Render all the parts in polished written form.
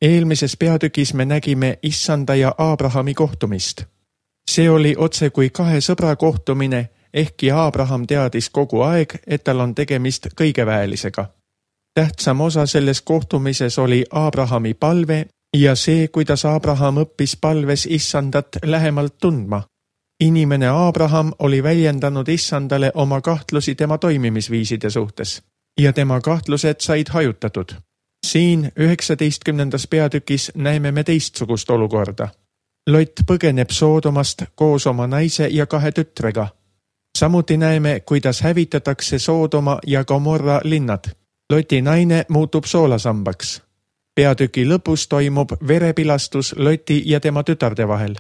Eelmises peatükis me nägime Issanda ja Aabrahami kohtumist. See oli otse kui kahe sõbra kohtumine, ehkki Aabraham teadis kogu aeg, et tal on tegemist kõigeväelisega. Tähtsam osa selles kohtumises oli Aabrahami palve ja see, kuidas Aabraham õppis palves Issandat lähemalt tundma. Inimene Aabraham oli väljendanud Issandale oma kahtlusi tema toimimisviiside suhtes ja tema kahtlused said hajutatud. Siin 19. peatükis näeme me teistsugust olukorda. Lot põgeneb Soodomast koos oma naise ja 2 tütrega. Samuti näeme, kuidas hävitatakse Soodoma ja Gomorra linnad. Loti naine muutub soolasambaks. Peatüki lõpus toimub verepilastus Loti ja tema tütarde vahel.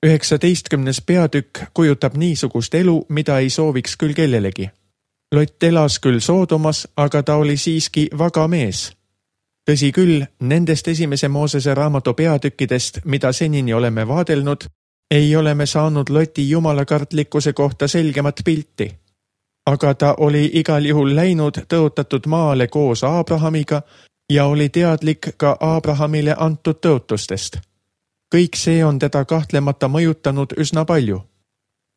19. peatükk kujutab niisugust elu, mida ei sooviks küll kellelegi. Lot elas küll Soodomas, aga ta oli siiski vaga mees. Tõsi küll, nendest esimese Moosese raamatu peatükkidest, mida senini oleme vaadelnud, ei ole me saanud Loti jumalakartlikkuse kohta selgemat pilti. Aga ta oli igal juhul läinud tõotatud maale koos Aabrahamiga ja oli teadlik ka Aabrahamile antud tõotustest. Kõik see on teda kahtlemata mõjutanud üsna palju.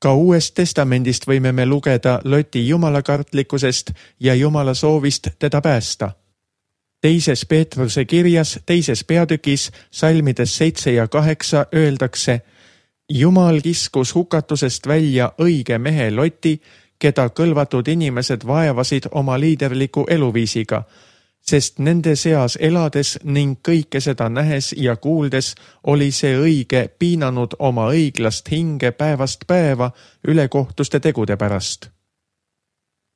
Ka Uuest Testamendist võime me lugeda Loti jumalakartlikkusest ja Jumala soovist teda päästa. Teises Peetruse kirjas, 2. peatükis, salmides 7 ja 8 öeldakse: Jumal kiskus hukatusest välja õige mehe Loti, keda kõlvatud inimesed vaevasid oma liiderliku eluviisiga, sest nende seas elades ning kõike seda nähes ja kuuldes oli see õige piinanud oma õiglast hinge päevast päeva ülekohtuste tegude pärast.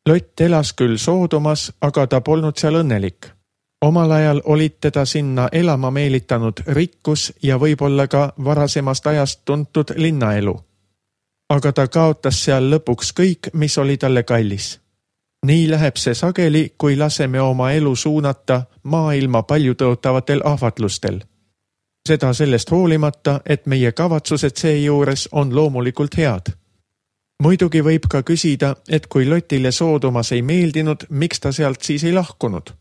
Lot elas küll Soodomas, aga ta polnud seal õnnelik. Omal ajal olid teda sinna elama meelitanud rikkus ja võib-olla ka varasemast ajast tuntud linnaelu. Aga ta kaotas seal lõpuks kõik, mis oli talle kallis. Nii läheb see sageli, kui laseme oma elu suunata maailma paljutõotavatel ahvatlustel. Seda sellest hoolimata, et meie kavatsused seejuures on loomulikult head. Muidugi võib ka küsida, et kui Lotile Soodomas ei meeldinud, miks ta sealt siis ei lahkunud?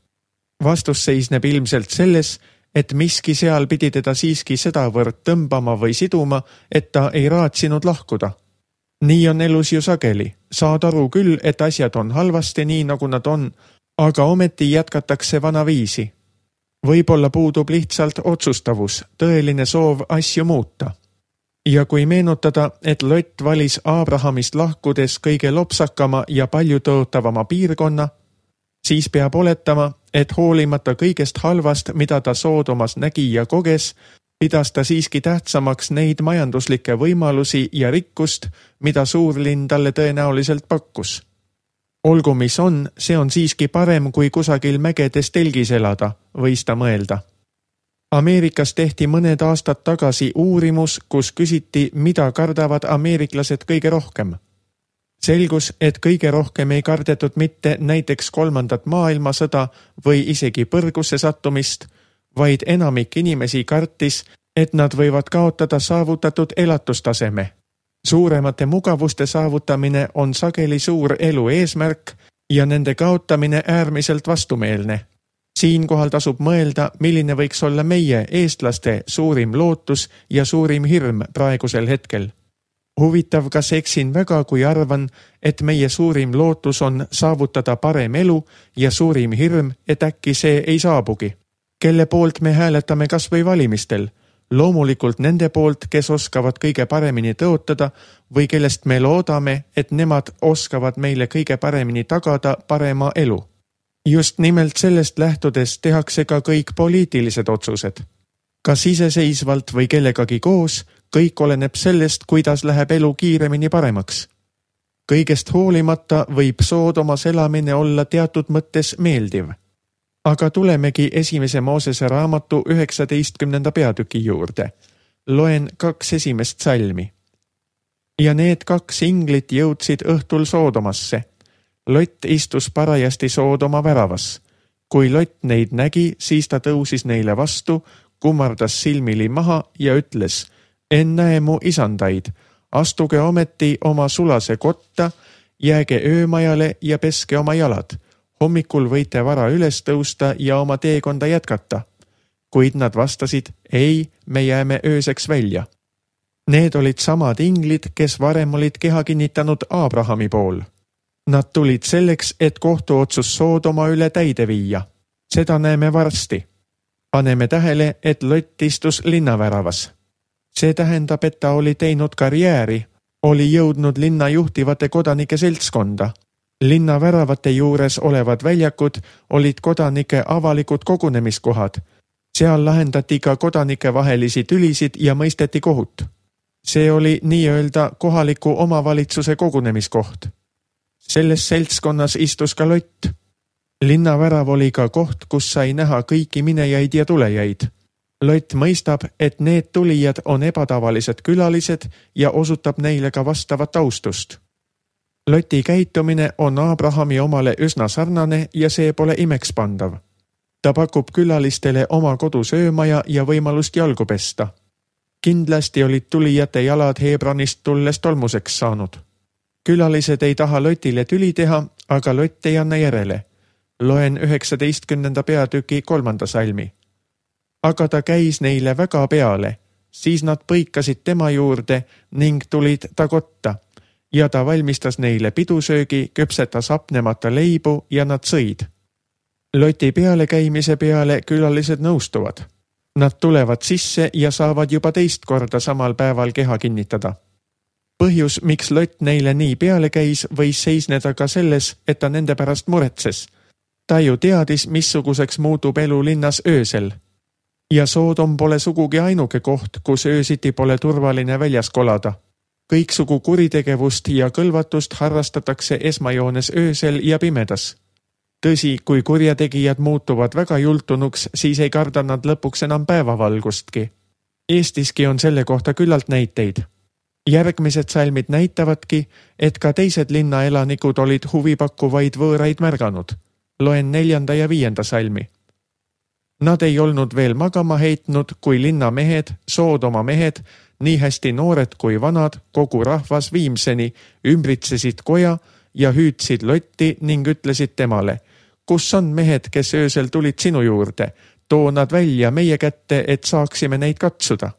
Vastus seisneb ilmselt selles, et miski seal pidi teda siiski sedavõrd tõmbama või siduma, et ta ei raatsinud lahkuda. Nii on elus ju sageli. Saad aru küll, et asjad on halvasti nii, nagu nad on, aga ometi jätkatakse vanaviisi. Võib-olla puudub lihtsalt otsustavus, tõeline soov asju muuta. Ja kui meenutada, et Lot valis Aabrahamist lahkudes kõige lopsakama ja paljutõotavama piirkonna, siis peab oletama, et hoolimata kõigest halvast, mida ta Soodomas nägi ja koges, pidas ta siiski tähtsamaks neid majanduslikke võimalusi ja rikkust, mida suurlinn talle tõenäoliselt pakkus. Olgu mis on, see on siiski parem kui kusagil mägedes telgis elada, võis ta mõelda. Ameerikas tehti mõned aastad tagasi uurimus, kus küsiti, mida kardavad ameeriklased kõige rohkem. Selgus, et kõige rohkem ei kardetud mitte näiteks 3. maailmasõda või isegi põrgusse sattumist, vaid enamik inimesi kartis, et nad võivad kaotada saavutatud elatustaseme. Suuremate mugavuste saavutamine on sageli suur elu eesmärk ja nende kaotamine äärmiselt vastumeelne. Siinkohal tasub mõelda, milline võiks olla meie, eestlaste, suurim lootus ja suurim hirm praegusel hetkel. Huvitav, kas eksin väga, kui arvan, et meie suurim lootus on saavutada parem elu ja suurim hirm, et äkki see ei saabugi. Kelle poolt me hääletame kas või valimistel? Loomulikult nende poolt, kes oskavad kõige paremini tõotada või kellest me loodame, et nemad oskavad meile kõige paremini tagada parema elu. Just nimelt sellest lähtudes tehakse ka kõik poliitilised otsused. Kas iseseisvalt või kellegagi koos, kõik oleneb sellest, kuidas läheb elu kiiremini paremaks. Kõigest hoolimata võib Soodomas elamine olla teatud mõttes meeldiv. Aga tulemegi esimese Moosese raamatu 19. peatüki juurde. Loen 2 esimest salmi. Ja need 2 inglit jõudsid õhtul Soodomasse. Lot istus parajasti Soodoma väravas. Kui Lot neid nägi, siis ta tõusis neile vastu, kummardas silmili maha ja ütles: En näe mu isandaid, astuge ometi oma sulase kotta, jääge öömajale ja peske oma jalad. Hommikul võite vara üles tõusta ja oma teekonda jätkata. kuid nad vastasid, ei, me jääme ööseks välja. Need olid samad inglid, kes varem olid keha kinnitanud Aabrahami pool. Nad tulid selleks, et kohtuotsus Soodoma üle täide viia. Seda näeme varsti. Paneme tähele, et Lott istus linnaväravas. See tähendab, et ta oli teinud karjääri, oli jõudnud linna juhtivate kodanike seltskonda. Linna väravate juures olevad väljakud olid kodanike avalikud kogunemiskohad. Seal lahendati ka kodanike vahelisi tülisid ja mõisteti kohut. See oli nii-öelda kohaliku omavalitsuse kogunemiskoht. Selles seltskonnas istus ka Lott. Linnavärav oli ka koht, kus sai näha kõiki minejaid ja tulejaid. Lott mõistab, et need tulijad on ebatavalised külalised ja osutab neile ka vastavat austust. Loti käitumine on Aabrahami omale üsna sarnane ja see pole imekspandav. Ta pakub külalistele oma kodu söömaja ja võimalust jalgu pesta. Kindlasti olid tulijate jalad Hebronist tulles tolmuseks saanud. Külalised ei taha Lotile tüli teha, aga Lott ei anna järele. Loen 19. peatüki 3. salmi. Aga ta käis neile väga peale, siis nad põikasid tema juurde ning tulid ta kotta ja ta valmistas neile pidusöögi, küpsetas hapnemata leibu ja nad sõid. Loti peale käimise peale külalised nõustuvad. Nad tulevad sisse ja saavad juba teist korda samal päeval keha kinnitada. Põhjus, miks Lott neile nii peale käis, võis seisneda ka selles, et ta nende pärast muretses. Ta ju teadis, missuguseks muutub elu linnas öösel. Ja Soodom pole sugugi ainuke koht, kus öösiti pole turvaline väljas kolada. Kõiksugu kuritegevust ja kõlvatust harrastatakse esmajoones öösel ja pimedas. Tõsi, kui kurjategijad muutuvad väga jultunuks, siis ei karda nad lõpuks enam päevavalgustki. Eestiski on selle kohta küllalt näiteid. Järgmised salmid näitavadki, et ka teised linnaelanikud olid huvipakkuvaid võõraid märganud. Loen 4. ja 5. salmi. Nad ei olnud veel magama heitnud, kui linnamehed, Soodoma mehed, nii hästi noored kui vanad, kogu rahvas viimseni ümbritsesid koja ja hüüdsid Lotti ning ütlesid temale, kus on mehed, kes öösel tulid sinu juurde, too nad välja meie kätte, et saaksime neid katsuda.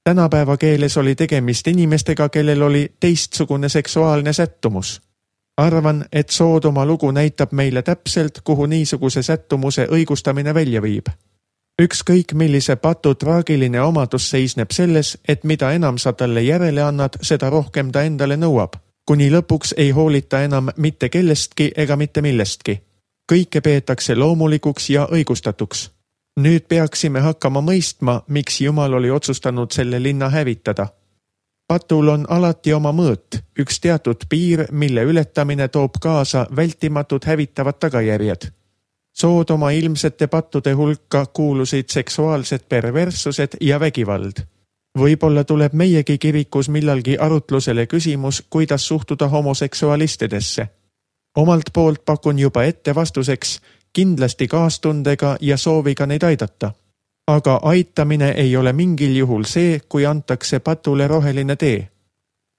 Tänapäeva keeles oli tegemist inimestega, kellel oli teistsugune seksuaalne sättumus. Arvan, et Soodoma lugu näitab meile täpselt, kuhu niisuguse sättumuse õigustamine välja viib. Ükskõik millise patu traagiline omadus seisneb selles, et mida enam sa talle järele annad, seda rohkem ta endale nõuab, kuni lõpuks ei hoolita enam mitte kellestki ega mitte millestki. Kõike peetakse loomulikuks ja õigustatuks. Nüüd peaksime hakkama mõistma, miks Jumal oli otsustanud selle linna hävitada. Patul on alati oma mõõt, üks teatud piir, mille ületamine toob kaasa vältimatud hävitavad tagajärjed. Soodoma ilmsete pattude hulka kuulusid seksuaalsed perverssused ja vägivald. Võib-olla tuleb meiegi kirikus millalgi arutlusele küsimus, kuidas suhtuda homoseksualistidesse. Omalt poolt pakun juba ette vastuseks, kindlasti kaastundega ja sooviga neid aidata. Aga aitamine ei ole mingil juhul see, kui antakse patule roheline tee.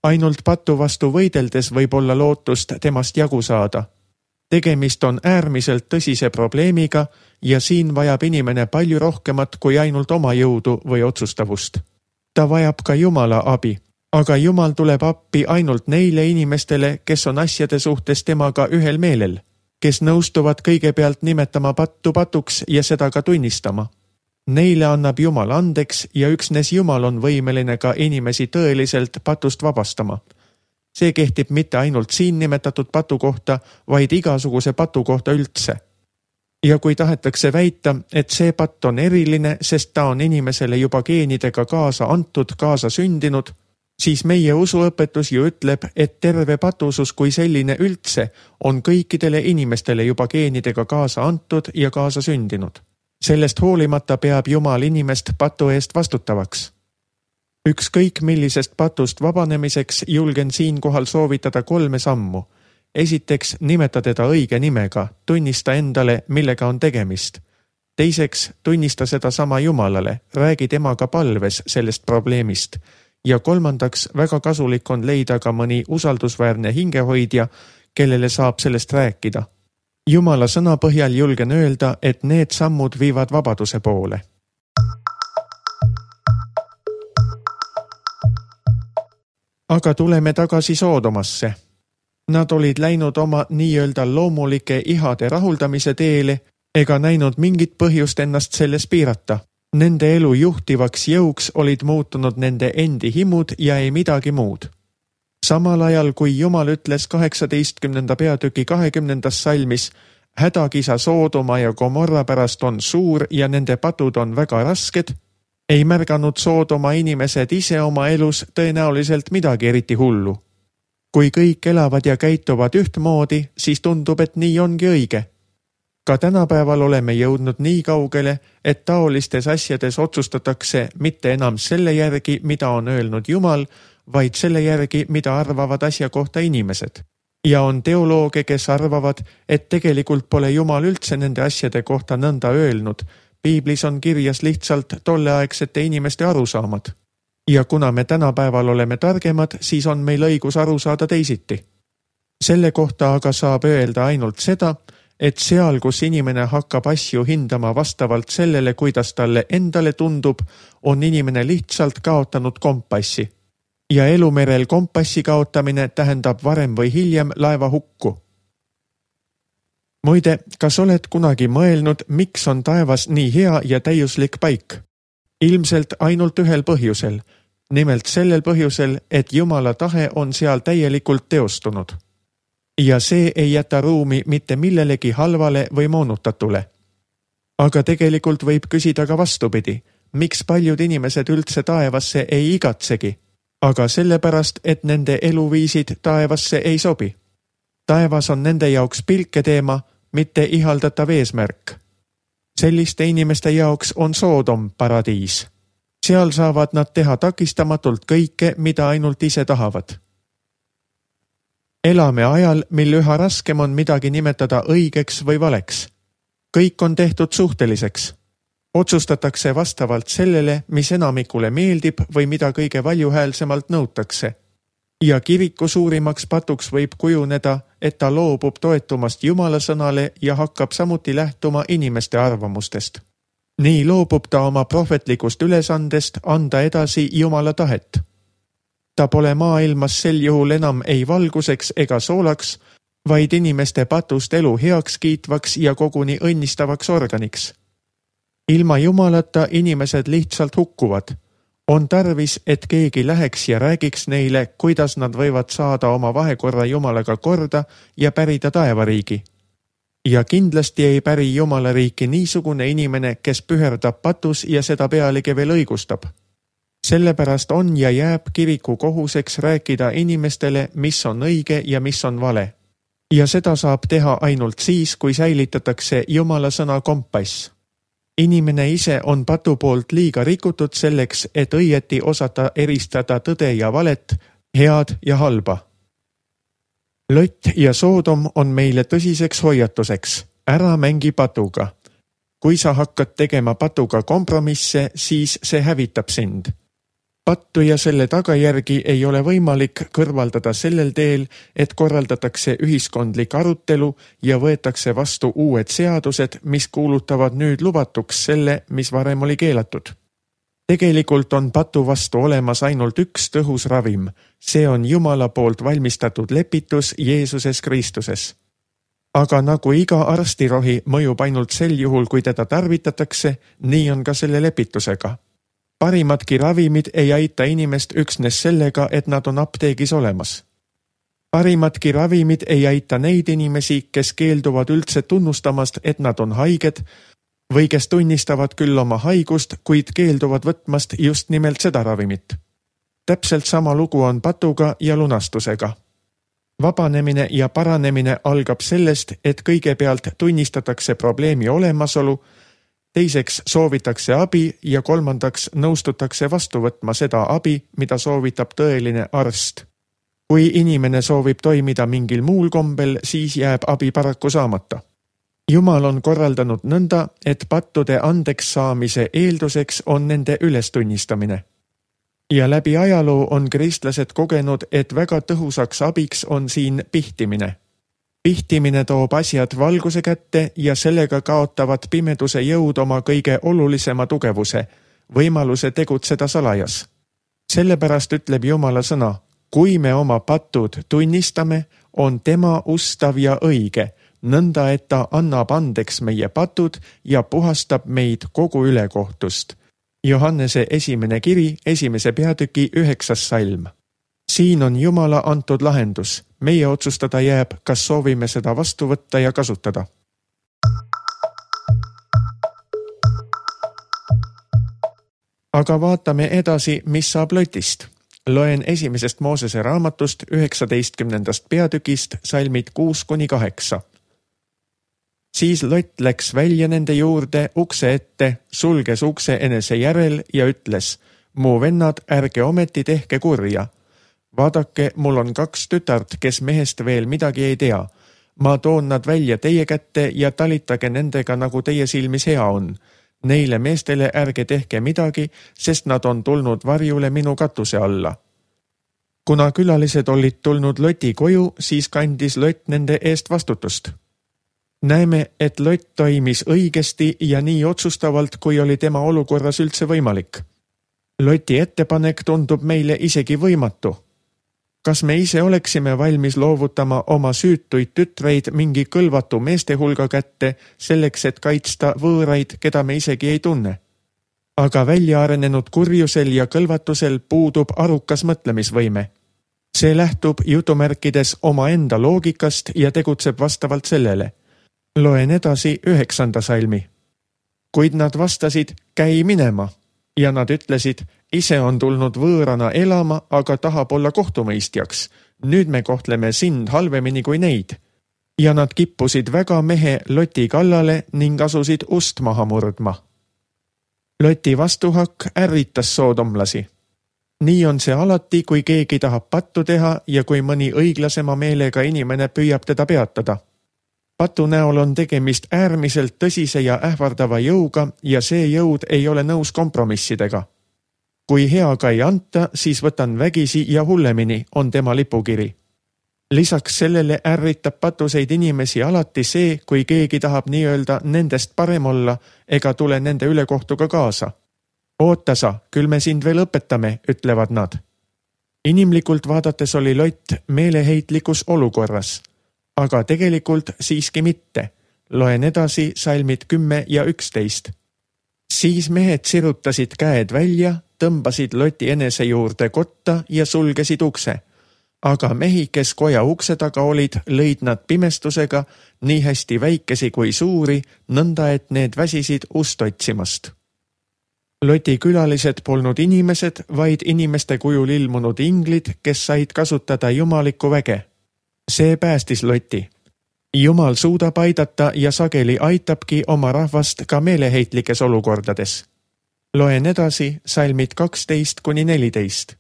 Ainult patu vastu võideldes võib olla lootust temast jagu saada. Tegemist on äärmiselt tõsise probleemiga ja siin vajab inimene palju rohkemat kui ainult oma jõudu või otsustavust. Ta vajab ka Jumala abi, aga Jumal tuleb appi ainult neile inimestele, kes on asjade suhtes temaga ühel meelel, kes nõustuvad kõigepealt nimetama pattu patuks ja seda ka tunnistama. Neile annab Jumal andeks ja üksnes Jumal on võimeline ka inimesi tõeliselt patust vabastama. See kehtib mitte ainult siin nimetatud patu kohta, vaid igasuguse patu kohta üldse. Ja kui tahetakse väita, et see patt on eriline, sest ta on inimesele juba geenidega kaasa antud, kaasa sündinud, siis meie usuõpetus ju ütleb, et terve patusus kui selline üldse on kõikidele inimestele juba geenidega kaasa antud ja kaasa sündinud. Sellest hoolimata peab Jumal inimest patu eest vastutavaks. Ükskõik millisest patust vabanemiseks julgen siinkohal soovitada 3 sammu. Esiteks, nimeta teda õige nimega, tunnista endale, millega on tegemist. Teiseks, tunnista seda sama Jumalale, räägi temaga palves sellest probleemist. Ja kolmandaks, väga kasulik on leida ka mõni usaldusväärne hingehoidja, kellele saab sellest rääkida. Jumala sõna põhjal julgen öelda, et need sammud viivad vabaduse poole. Aga tuleme tagasi Soodomasse. Nad olid läinud oma nii-öelda loomulike ihade rahuldamise teele ega näinud mingit põhjust ennast selles piirata. Nende elu juhtivaks jõuks olid muutunud nende endi himud ja ei midagi muud. Samal ajal, kui Jumal ütles 18. peatüki 20. salmis, hädakisa Soodoma ja Gomorra pärast on suur ja nende patud on väga rasked, ei märganud Soodoma inimesed ise oma elus tõenäoliselt midagi eriti hullu. Kui kõik elavad ja käituvad ühtmoodi, siis tundub, et nii ongi õige. Ka tänapäeval oleme jõudnud nii kaugele, et taolistes asjades otsustatakse mitte enam selle järgi, mida on öelnud Jumal, vaid selle järgi, mida arvavad asja kohta inimesed. Ja on teolooge, kes arvavad, et tegelikult pole Jumal üldse nende asjade kohta nõnda öelnud. Piiblis on kirjas lihtsalt tolleaegsete inimeste arusaamad. Ja kuna me tänapäeval oleme targemad, siis on meil õigus aru saada teisiti. Selle kohta aga saab öelda ainult seda, et seal, kus inimene hakkab asju hindama vastavalt sellele, kuidas talle endale tundub, on inimene lihtsalt kaotanud kompassi. Ja elumerel kompassi kaotamine tähendab varem või hiljem laeva hukku. Muide, kas oled kunagi mõelnud, miks on taevas nii hea ja täiuslik paik? Ilmselt ainult ühel põhjusel. Nimelt sellel põhjusel, et Jumala tahe on seal täielikult teostunud. Ja see ei jäta ruumi mitte millelegi halvale või moonutatule. Aga tegelikult võib küsida ka vastupidi, miks paljud inimesed üldse taevasse ei igatsegi, aga sellepärast, et nende eluviisid taevasse ei sobi. Taevas on nende jaoks pilketeema, mitte ihaldatav eesmärk. Selliste inimeste jaoks on Soodom paradiis. Seal saavad nad teha takistamatult kõike, mida ainult ise tahavad. Elame ajal, mil üha raskem on midagi nimetada õigeks või valeks. Kõik on tehtud suhteliseks. Otsustatakse vastavalt sellele, mis enamikule meeldib või mida kõige valjuhäälsemalt nõutakse. Ja kiriku suurimaks patuks võib kujuneda, et ta loobub toetumast Jumala sõnale ja hakkab samuti lähtuma inimeste arvamustest. Nii loobub ta oma prohvetlikust ülesandest anda edasi Jumala tahet. Ta pole maailmas sel juhul enam ei valguseks ega soolaks, vaid inimeste patust elu heaks kiitvaks ja koguni õnnistavaks organiks. Ilma Jumalata inimesed lihtsalt hukkuvad. On tarvis, et keegi läheks ja räägiks neile, kuidas nad võivad saada oma vahekorra Jumalaga korda ja pärida taevariigi. Ja kindlasti ei päri Jumala riiki niisugune inimene, kes püherdab patus ja seda pealegi veel õigustab. Sellepärast on ja jääb kiriku kohuseks rääkida inimestele, mis on õige ja mis on vale. Ja seda saab teha ainult siis, kui säilitatakse Jumala sõna kompass. Inimene ise on patu poolt liiga rikutud selleks, et õieti osata eristada tõde ja valet, head ja halba. Lot ja Soodom on meile tõsiseks hoiatuseks. Ära mängi patuga. Kui sa hakkad tegema patuga kompromisse, siis see hävitab sind. Pattu ja selle tagajärgi ei ole võimalik kõrvaldada sellel teel, et korraldatakse ühiskondlik arutelu ja võetakse vastu uued seadused, mis kuulutavad nüüd lubatuks selle, mis varem oli keelatud. Tegelikult on patu vastu olemas ainult üks tõhus ravim. See on Jumala poolt valmistatud lepitus Jeesuses Kristuses. Aga nagu iga arstirohi mõjub ainult sel juhul, kui teda tarvitatakse, nii on ka selle lepitusega. Parimadki ravimid ei aita inimest üksnes sellega, et nad on apteegis olemas. Parimadki ravimid ei aita neid inimesi, kes keelduvad üldse tunnustamast, et nad on haiged, või kes tunnistavad küll oma haigust, kuid keelduvad võtmast just nimelt seda ravimit. Täpselt sama lugu on patuga ja lunastusega. Vabanemine ja paranemine algab sellest, et kõigepealt tunnistatakse probleemi olemasolu, teiseks soovitakse abi ja kolmandaks nõustutakse vastu võtma seda abi, mida soovitab tõeline arst. Kui inimene soovib toimida mingil muul kombel, siis jääb abi paraku saamata. Jumal on korraldanud nõnda, et pattude andeks saamise eelduseks on nende ülestunnistamine. Ja läbi ajaloo on kristlased kogenud, et väga tõhusaks abiks on siin pihtimine. Pihtimine toob asjad valguse kätte ja sellega kaotavad pimeduse jõud oma kõige olulisema tugevuse, võimaluse tegutseda salajas. Sellepärast ütleb Jumala sõna, Kui me oma patud tunnistame, on tema ustav ja õige, nõnda et ta annab andeks meie patud ja puhastab meid kogu ülekohtust. Johannese esimene kiri, 1. peatüki 9. salm. Siin on Jumala antud lahendus. Meie otsustada jääb, kas soovime seda vastu võtta ja kasutada. Aga vaatame edasi, mis saab Lotist. Loen 1. Moosese raamatust 19. peatükist salmid 6-8. Siis Lot läks välja nende juurde ukse ette, sulges ukse enese järel ja ütles, mu vennad, ärge ometi tehke kurja. Vaadake, mul on 2 tütart, kes mehest veel midagi ei tea. Ma toon nad välja teie kätte ja talitage nendega, nagu teie silmis hea on. Neile meestele ärge tehke midagi, sest nad on tulnud varjule minu katuse alla. Kuna külalised olid tulnud Loti koju, siis kandis Lot nende eest vastutust. Näeme, et Lot toimis õigesti ja nii otsustavalt, kui oli tema olukorras üldse võimalik. Loti ettepanek tundub meile isegi võimatu. Kas me ise oleksime valmis loovutama oma süütuid tütreid mingi kõlvatu meeste hulga kätte selleks, et kaitsta võõraid, keda me isegi ei tunne? Aga välja arenenud kurjusel ja kõlvatusel puudub arukas mõtlemisvõime. See lähtub jutumärkides omaenda loogikast ja tegutseb vastavalt sellele. Loen edasi 9. salmi. Kuid nad vastasid, käi minema. Ja nad ütlesid, ise on tulnud võõrana elama, aga tahab olla kohtumõistjaks. Nüüd me kohtleme sind halvemini kui neid. Ja nad kippusid väga mehe Loti kallale ning asusid ust maha murdma. Loti vastuhakk ärritas soodomlasi. Nii on see alati, kui keegi tahab pattu teha ja kui mõni õiglasema meelega inimene püüab teda peatada. Patu näol on tegemist äärmiselt tõsise ja ähvardava jõuga ja see jõud ei ole nõus kompromissidega. Kui heaga ei anta, siis võtan vägisi ja hullemini, on tema lipukiri. Lisaks sellele ärritab patuseid inimesi alati see, kui keegi tahab nii-öelda nendest parem olla ega tule nende ülekohtuga kaasa. Oota sa, küll me sind veel õpetame, ütlevad nad. Inimlikult vaadates oli Lot meeleheitlikus olukorras. Aga tegelikult siiski mitte. Loen edasi salmid 10 ja 11. Siis mehed sirutasid käed välja, tõmbasid Loti enese juurde kotta ja sulgesid ukse. Aga mehi, kes koja ukse taga olid, lõid nad pimestusega, nii hästi väikesi kui suuri, nõnda et need väsisid ust otsimast. Loti külalised polnud inimesed, vaid inimeste kujul ilmunud inglid, kes said kasutada jumalikku väge. See päästis Loti. Jumal suudab aidata ja sageli aitabki oma rahvast ka meeleheitlikes olukordades. Loen edasi salmid 12-14.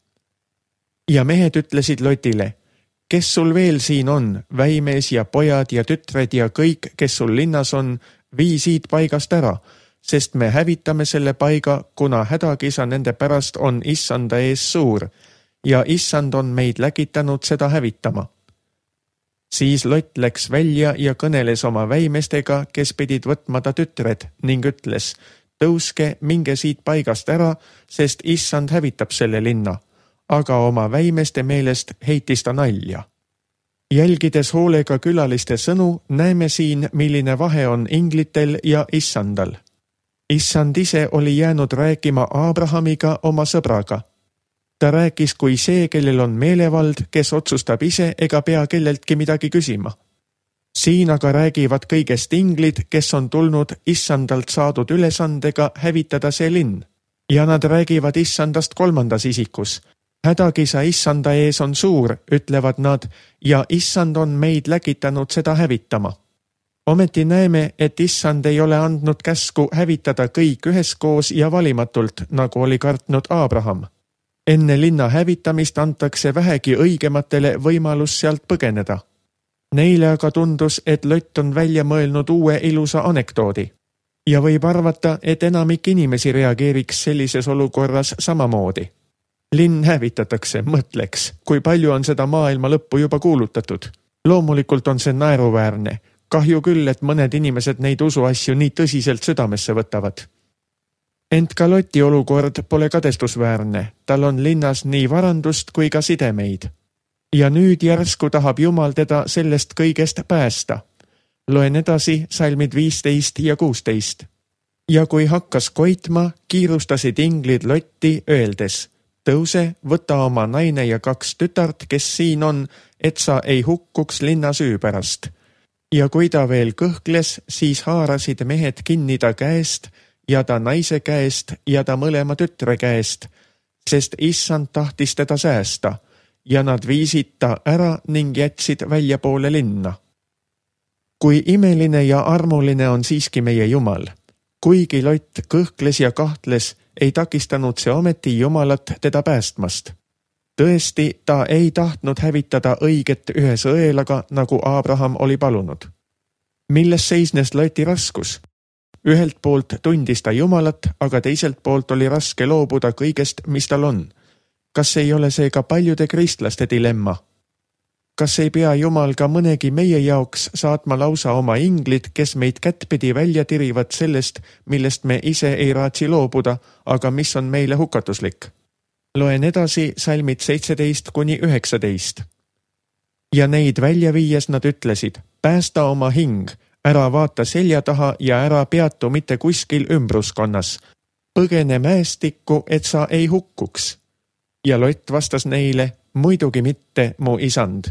Ja mehed ütlesid Lotile, kes sul veel siin on, väimees ja pojad ja tütred ja kõik, kes sul linnas on, vii siit paigast ära, sest me hävitame selle paiga, kuna hädakisa nende pärast on issanda ees suur ja issand on meid läkitanud seda hävitama. Siis Lot läks välja ja kõneles oma väimestega, kes pidid võtma ta tütred ning ütles, tõuske, minge siit paigast ära, sest issand hävitab selle linna, aga oma väimeste meelest heitis ta nalja. Jälgides hoolega külaliste sõnu, näeme siin, milline vahe on inglitel ja issandal. Issand ise oli jäänud rääkima Abrahamiga oma sõbraga. Ta rääkis kui see, kellel on meelevald, kes otsustab ise ega pea kelleltki midagi küsima. Siin aga räägivad kõigest inglid, kes on tulnud issandalt saadud ülesandega hävitada see linn. Ja nad räägivad issandast 3. isikus. Hädakisa issanda ees on suur, ütlevad nad, ja issand on meid läkitanud seda hävitama. Ometi näeme, et issand ei ole andnud käsku hävitada kõik üheskoos ja valimatult, nagu oli kartnud Abraham. Enne linna hävitamist antakse vähegi õigematele võimalus sealt põgeneda. Neile aga tundus, et Lot on välja mõelnud uue ilusa anekdoodi. Ja võib arvata, et enamik inimesi reageeriks sellises olukorras samamoodi. Linn hävitatakse, mõtleks, kui palju on seda maailma lõppu juba kuulutatud. Loomulikult on see naeruväärne. Kahju küll, et mõned inimesed neid usuasju nii tõsiselt südamesse võtavad. Ent ka Loti olukord pole kadestusväärne, tal on linnas nii varandust kui ka sidemeid. Ja nüüd järsku tahab Jumal teda sellest kõigest päästa. Loen edasi salmid 15 ja 16. Ja kui hakkas koitma, kiirustasid inglid Lotti öeldes: tõuse, võta oma naine ja 2 tütart, kes siin on, et sa ei hukkuks linna süü pärast. Ja kui ta veel kõhkles, siis haarasid mehed kinni ta käest ja ta naise käest ja ta mõlema tütre käest, sest issand tahtis teda säästa, ja nad viisid ta ära ning jätsid väljapoole linna. Kui imeline ja armuline on siiski meie Jumal. Kuigi Lott kõhkles ja kahtles, ei takistanud see ometi Jumalat teda päästmast. Tõesti, ta ei tahtnud hävitada õiget ühe sõelaga, nagu Abraham oli palunud. Milles seisnes Loti raskus? Ühelt poolt tundis ta Jumalat, aga teiselt poolt oli raske loobuda kõigest, mis tal on. Kas ei ole see ka paljude kristlaste dilemma? Kas ei pea Jumal ka mõnegi meie jaoks saatma lausa oma inglid, kes meid kättpidi välja tirivad sellest, millest me ise ei raatsi loobuda, aga mis on meile hukatuslik? Loen edasi salmid 17-19. Ja neid välja viies nad ütlesid: päästa oma hing, ära vaata selja taha ja ära peatu mitte kuskil ümbruskonnas. Põgene mäestikku, et sa ei hukkuks. Ja Lott vastas neile: muidugi mitte, mu isand.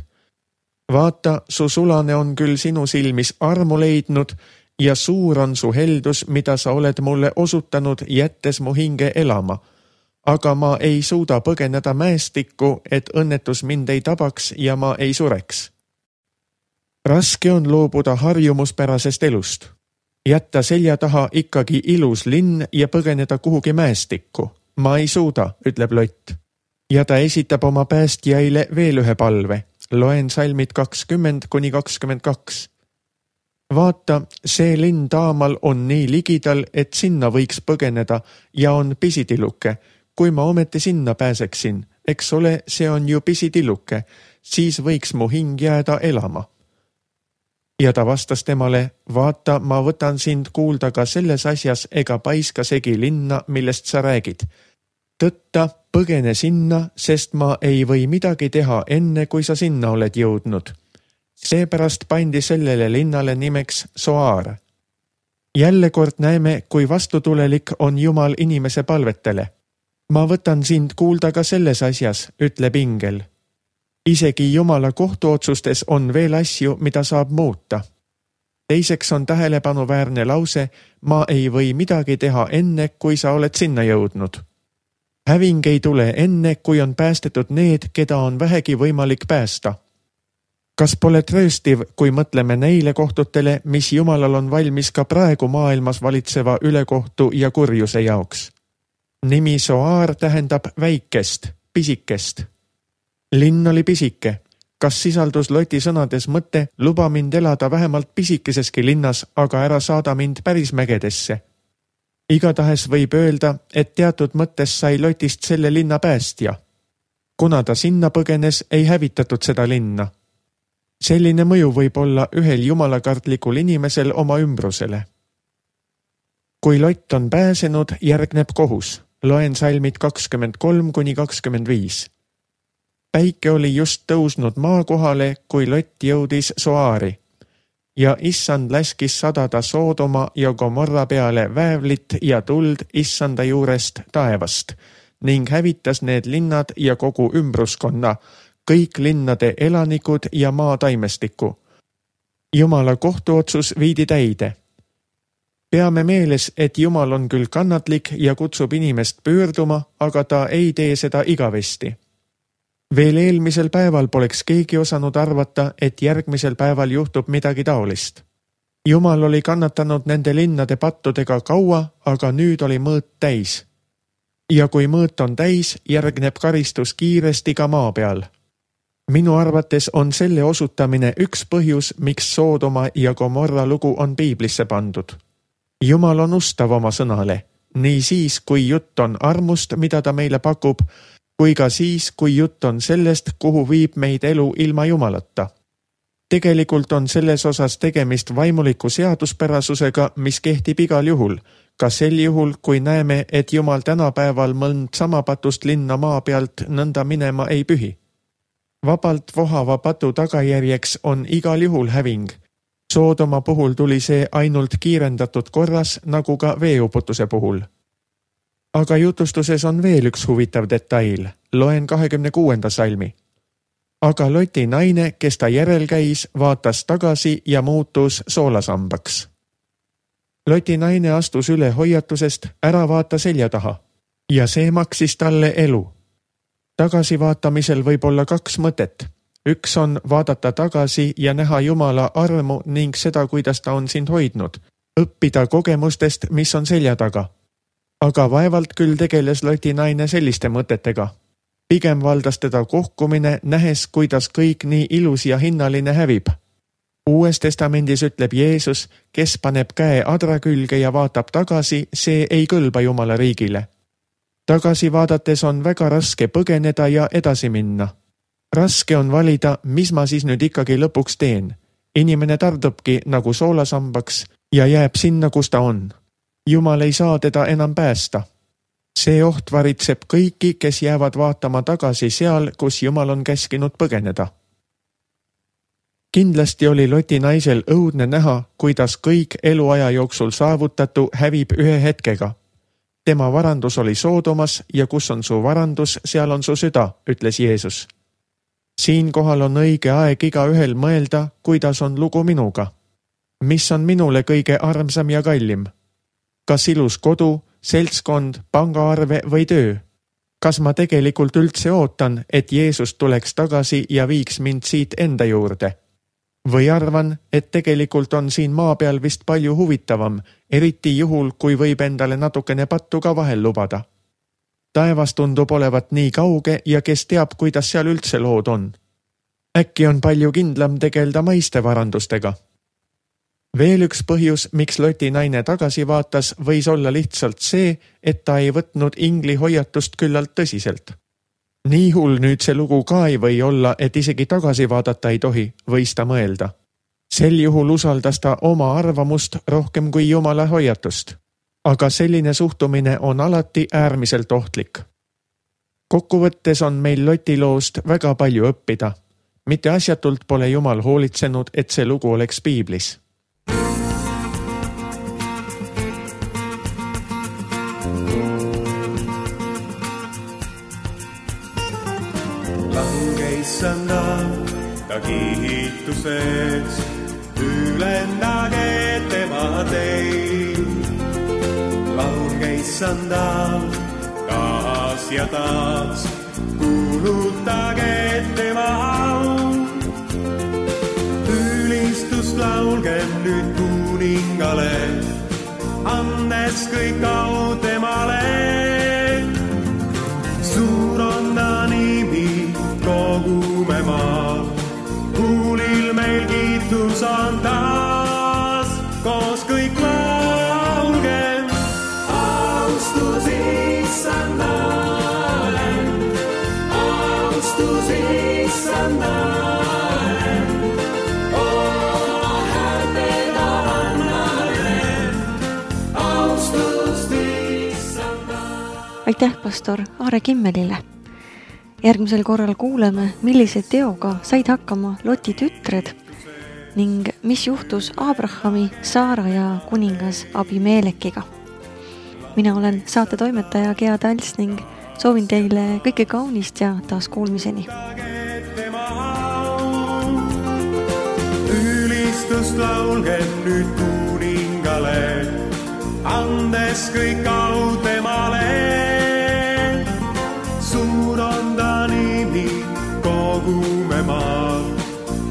Vaata, su sulane on küll sinu silmis armu leidnud ja suur on su heldus, mida sa oled mulle osutanud, jättes mu hinge elama. Aga ma ei suuda põgeneda mäestikku, et õnnetus mind ei tabaks ja ma ei sureks. Raske on loobuda harjumuspärasest elust. Jätta selja taha ikkagi ilus linn ja põgeneda kuhugi mäestikku. Ma ei suuda, ütleb Lott. Ja ta esitab oma päästjaile veel ühe palve. Loen salmid 20-22. Vaata, see linn taamal on nii ligidal, et sinna võiks põgeneda ja on pisitiluke. Kui ma ometi sinna pääseksin, eks ole, see on ju pisitiluke, siis võiks mu hing jääda elama. Ja ta vastas temale: vaata, ma võtan sind kuulda ka selles asjas ega paiska segi linna, millest sa räägid. Tõtta, põgene sinna, sest ma ei või midagi teha enne, kui sa sinna oled jõudnud. Seepärast pandi sellele linnale nimeks Soar. Jälle kord näeme, kui vastutulelik on Jumal inimese palvetele. Ma võtan sind kuulda ka selles asjas, ütleb ingel. Isegi Jumala kohtuotsustes on veel asju, mida saab muuta. Teiseks on tähelepanuväärne lause: ma ei või midagi teha enne, kui sa oled sinna jõudnud. Häving ei tule enne, kui on päästetud need, keda on vähegi võimalik päästa. Kas pole trööstiv, kui mõtleme neile kohtutele, mis Jumalal on valmis ka praegu maailmas valitseva ülekohtu ja kurjuse jaoks? Nimi Soar tähendab väikest, pisikest. Linn oli pisike. Kas sisaldus Loti sõnades mõte: luba mind elada vähemalt pisikeseski linnas, aga ära saada mind päris mägedesse? Igatahes võib öelda, et teatud mõttes sai Lotist selle linna päästja. Kuna ta sinna põgenes, ei hävitatud seda linna. Selline mõju võib olla ühel jumalakartlikul inimesel oma ümbrusele. Kui Lott on pääsenud, järgneb kohus. Loen salmid 23-25. Päike oli just tõusnud maakohale, kui Lott jõudis Soari. Ja issand läskis sadada Soodoma ja Gomorra peale väävlit ja tuld issanda juurest taevast ning hävitas need linnad ja kogu ümbruskonna, kõik linnade elanikud ja maa taimestiku. Jumala kohtuotsus viidi täide. Peame meeles, et Jumal on küll kannatlik ja kutsub inimest pöörduma, aga ta ei tee seda igavesti. Veel eelmisel päeval poleks keegi osanud arvata, et järgmisel päeval juhtub midagi taolist. Jumal oli kannatanud nende linnade pattudega kaua, aga nüüd oli mõõt täis. Ja kui mõõt on täis, järgneb karistus kiiresti ka maa peal. Minu arvates on selle osutamine üks põhjus, miks Soodoma ja Gomorra lugu on piiblisse pandud. Jumal on ustav oma sõnale, nii siis, kui jutt on armust, mida ta meile pakub, kui ka siis, kui jutt on sellest, kuhu viib meid elu ilma Jumalata. Tegelikult on selles osas tegemist vaimuliku seaduspärasusega, mis kehtib igal juhul, ka sel juhul, kui näeme, et Jumal tänapäeval mõnd sama patust linna maa pealt nõnda minema ei pühi. Vabalt vohava patu tagajärjeks on igal juhul häving. Soodoma puhul tuli see ainult kiirendatud korras, nagu ka veeuputuse puhul. Aga jutustuses on veel üks huvitav detail. Loen 26. salmi. Aga Loti naine, kes ta järel käis, vaatas tagasi ja muutus soolasambaks. Loti naine astus üle hoiatusest, ära vaata selja taha. Ja see maksis talle elu. Tagasivaatamisel võib olla 2 mõtet. Üks on vaadata tagasi ja näha Jumala armu ning seda, kuidas ta on sind hoidnud. Õppida kogemustest, mis on selja taga. Aga vaevalt küll tegeles Loti naine selliste mõtetega. Pigem valdas teda kohkumine, nähes, kuidas kõik nii ilus ja hinnaline hävib. Uues testamendis ütleb Jeesus, kes paneb käe adra külge ja vaatab tagasi, see ei kõlba Jumala riigile. Tagasi vaadates on väga raske põgeneda ja edasi minna. Raske on valida, mis ma siis nüüd ikkagi lõpuks teen. Inimene tardubki nagu soolasambaks ja jääb sinna, kus ta on. Jumal ei saa teda enam päästa. See oht varitseb kõiki, kes jäävad vaatama tagasi seal, kus Jumal on käskinud põgeneda. Kindlasti oli Loti naisel õudne näha, kuidas kõik eluaja jooksul saavutatu hävib ühe hetkega. Tema varandus oli Soodomas ja kus on su varandus, seal on su süda, ütles Jeesus. Siinkohal on õige aeg igaühel mõelda, kuidas on lugu minuga. Mis on minule kõige armsam ja kallim? Kas ilus kodu, seltskond, pangaarve või töö? Kas ma tegelikult üldse ootan, et Jeesus tuleks tagasi ja viiks mind siit enda juurde? Või arvan, et tegelikult on siin maa peal vist palju huvitavam, eriti juhul, kui võib endale natukene pattu ka vahel lubada. Taevas tundub olevat nii kauge ja kes teab, kuidas seal üldse lood on. Äkki on palju kindlam tegelda maiste varandustega. Veel üks põhjus, miks Loti naine tagasi vaatas, võis olla lihtsalt see, et ta ei võtnud ingli hoiatust küllalt tõsiselt. Nii hull nüüd see lugu ka ei või olla, et isegi tagasi vaadata ei tohi, võis ta mõelda. Sel juhul usaldas ta oma arvamust rohkem kui Jumala hoiatust. Aga selline suhtumine on alati äärmiselt ohtlik. Kokkuvõttes on meil Loti loost väga palju õppida. Mitte asjatult pole Jumal hoolitsenud, et see lugu oleks piiblis. Issanda, ta kiituseks, ülendage tema teid. Laulge Issanda, taas ja taas, kuulutage tema au. Ülistust laulgem nüüd kuningale, andes kõik au temale. Suur on ta nimi, kogume maa, kuulil meil kiitus on taas, koos kõik laulgem. Austus Issandale, austus Issandale, häältega annale, austust Issandale. Aitäh pastor Aare Kimmelile. Järgmisel korral kuuleme, millise teoga said hakkama Loti tütred ning mis juhtus Abrahami, Saara ja kuningas Abimelekiga. Mina olen saate toimetaja Gea Tals ning soovin teile kõike kaunist ja taas kuulmiseni. Ülistust laulgem nüüd kuningale, andes kõik au temale. Suur on ta nimi, kogume maa,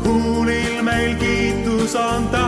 kuulil meil kiitus on ta.